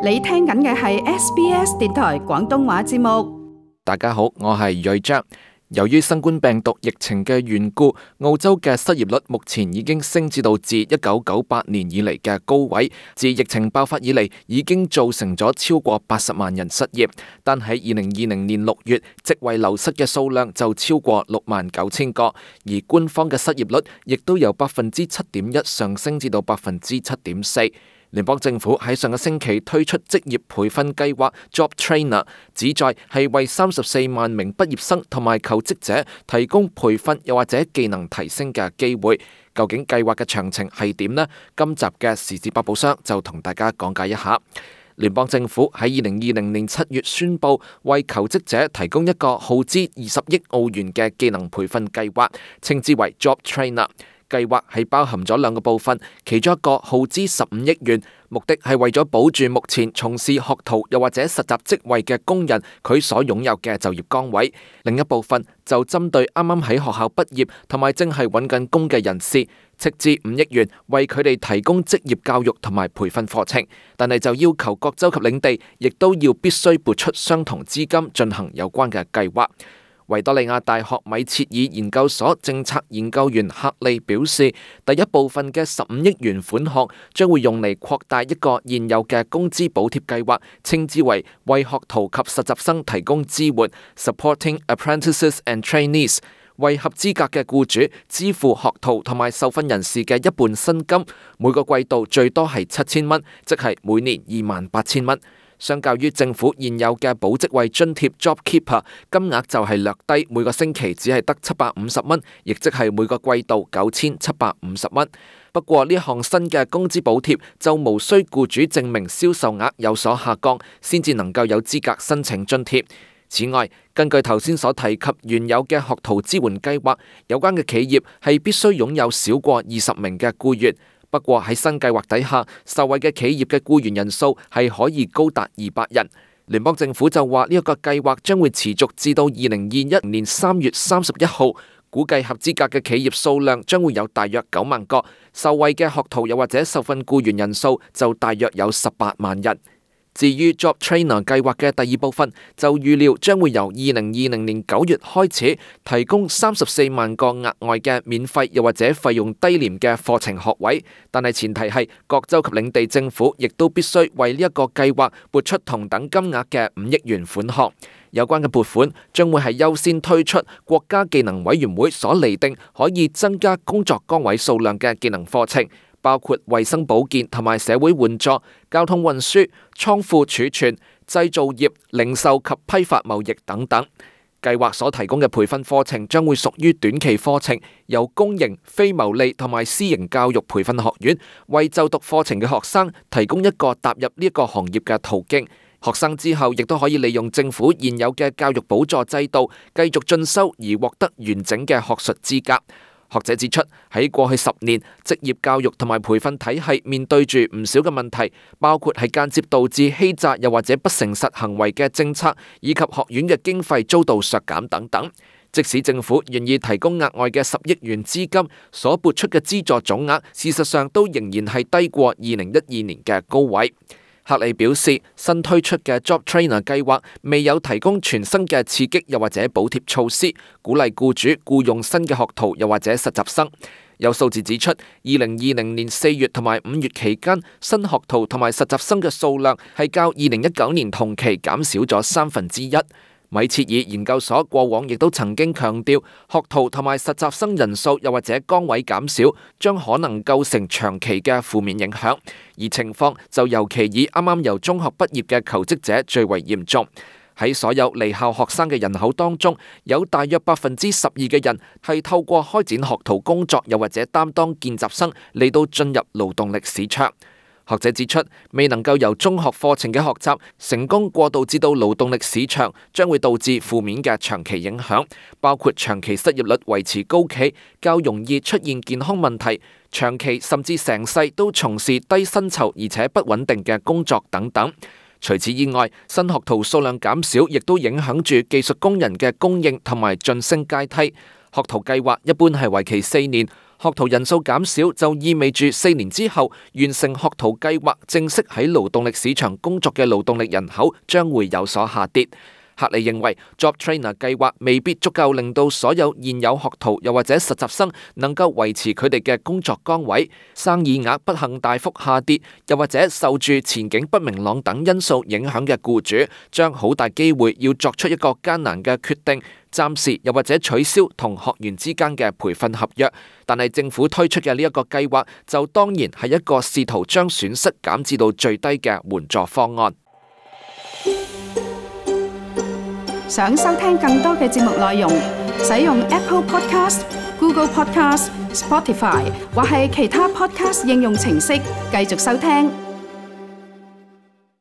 你聽緊嘅係 SBS 電台廣東話節目。大家好，我係瑞章。由於新冠病毒疫情嘅緣故，澳洲嘅失業率目前已經升至到自1998年以嚟嘅高位。自疫情爆發以嚟，已經造成咗超過80萬人失業。但喺2020年6月，職位流失嘅數量就超過69000個，而官方嘅失業率亦都由7.1%上升至到7.4%。聯邦政府喺上個星期推出職業培訓計劃 Job Trainer， 旨在係為34萬名畢業生同埋求職者提供培訓又或者技能提升嘅機會。究竟計劃嘅詳情係點呢？今集嘅時事百寶箱就同大家講解一下。聯邦政府喺2020年7月宣布，為求職者提供一個耗資20億澳元嘅技能培訓計劃，稱之為 Job Trainer。計劃係包含咗兩個部分，其中一個耗資15億元，目的係為咗保住目前從事學徒又或者實習職位嘅工人佢所擁有嘅就業崗位；另一部分就針對啱啱喺學校畢業同埋正係揾緊工嘅人士，斥資5億元為佢哋提供職業教育同埋培訓課程，但係就要求各州及領地亦都要必須撥出相同資金進行有關嘅計劃。維多利亞大學米切爾研究所政策研究員克利表示，第一部分嘅15億元款項將會用嚟擴大一個現有嘅工資補貼計劃，稱之為為學徒及實習生提供支援 （Supporting Apprentices and Trainees）， 為合資格嘅僱主支付學徒同埋受訓人士嘅一半薪金，每個季度最多係7000蚊，即係每年28000蚊。相較於政府現有嘅保職位津貼 JobKeeper， 金額就係略低，每個星期只係得750蚊，亦即係每個季度9750蚊。不過呢項新嘅工資補貼就無需僱主證明銷售額有所下降，先至能夠有資格申請津貼。此外，根據頭先所提及原有嘅學徒支援計劃，有關嘅企業係必須擁有少過20名嘅僱員。不過喺新計劃底下，受惠嘅企業嘅僱員人數係可以高達200人。聯邦政府就話呢一個計劃將會持續至到2021年3月31號，估計合資格嘅企業數量將會有大約9萬個，受惠嘅學徒又或者受訓僱員人數就大約有18萬人。至於 Job Trainer 計劃嘅第二部分，就預料將會由2020年9月開始，提供34萬個額外嘅免費又或者費用低廉嘅課程學位，但係前提係各州及領地政府亦都必須為呢一個計劃撥出同等金額嘅5億元款項。有關嘅撥款將會係優先推出國家技能委員會所釐定可以增加工作崗位數量嘅技能課程，包括衛生保健同埋社會援助、交通運輸、倉庫儲存、製造業、零售及批發貿易等等。計劃所提供嘅培訓課程將會屬於短期課程，由公營、非牟利同埋私營教育培訓學院為就讀課程嘅學生提供一個踏入呢一個行業嘅途徑。學生之後亦都可以利用政府現有嘅教育補助制度繼續進修而獲得完整嘅學術資格。學者指出，喺過去10年，職業教育同埋培訓體系面對住唔少嘅問題，包括係間接導致欺詐又或者不誠實行為嘅政策，以及學院嘅經費遭到削減等等。即使政府願意提供額外嘅10億元資金，所撥出嘅資助總額，事實上都仍然係低過2012年嘅高位。克里表示，新推出嘅 Job Trainer 計劃未有提供全新嘅刺激又或者補貼措施，鼓勵僱主僱用新嘅學徒又或者實習生。有數字指出，2020年4月同埋5月期間，新學徒同埋實習生嘅數量係較2019年同期減少咗1/3。米切爾研究所過往亦都曾經強調，學徒同埋實習生人數又或者崗位減少，將可能構成長期嘅負面影響，而情況就尤其以啱啱由中學畢業嘅求職者最為嚴重。喺所有離校學生嘅人口當中，有大約12%嘅人係透過開展學徒工作又或者擔當見習生嚟到進入勞動力市場。學者指出，未能夠由中學課程嘅學習成功過渡至到勞動力市場，將會導致負面嘅長期影響，包括長期失業率維持高企，較容易出現健康問題，長期甚至成世都從事低薪酬而且不穩定嘅工作等等。除此以外，新學徒數量減少，亦都影響住技術工人嘅供應同埋晉升階梯。學徒計劃一般係為期4年。學徒人數減少就意味住4年之後完成學徒計劃正式喺勞動力市場工作嘅勞動力人口將會有所下跌。克里認為 Job Trainer 計劃未必足夠令到所有現有學徒又或者實習生能夠維持佢哋嘅工作崗位，生意額不幸大幅下跌，又或者受住前景不明朗等因素影響嘅僱主，將好大機會要作出一個艱難嘅決定，暫時又或者取消同學員之間嘅培訓合約。但係政府推出嘅呢一個計劃就當然係一個試圖將損失減至到最低嘅援助方案。想收聽更多嘅節目內容，使用 Apple Podcast、Google Podcast、Spotify 或係其他 Podcast 應用程式繼續收聽。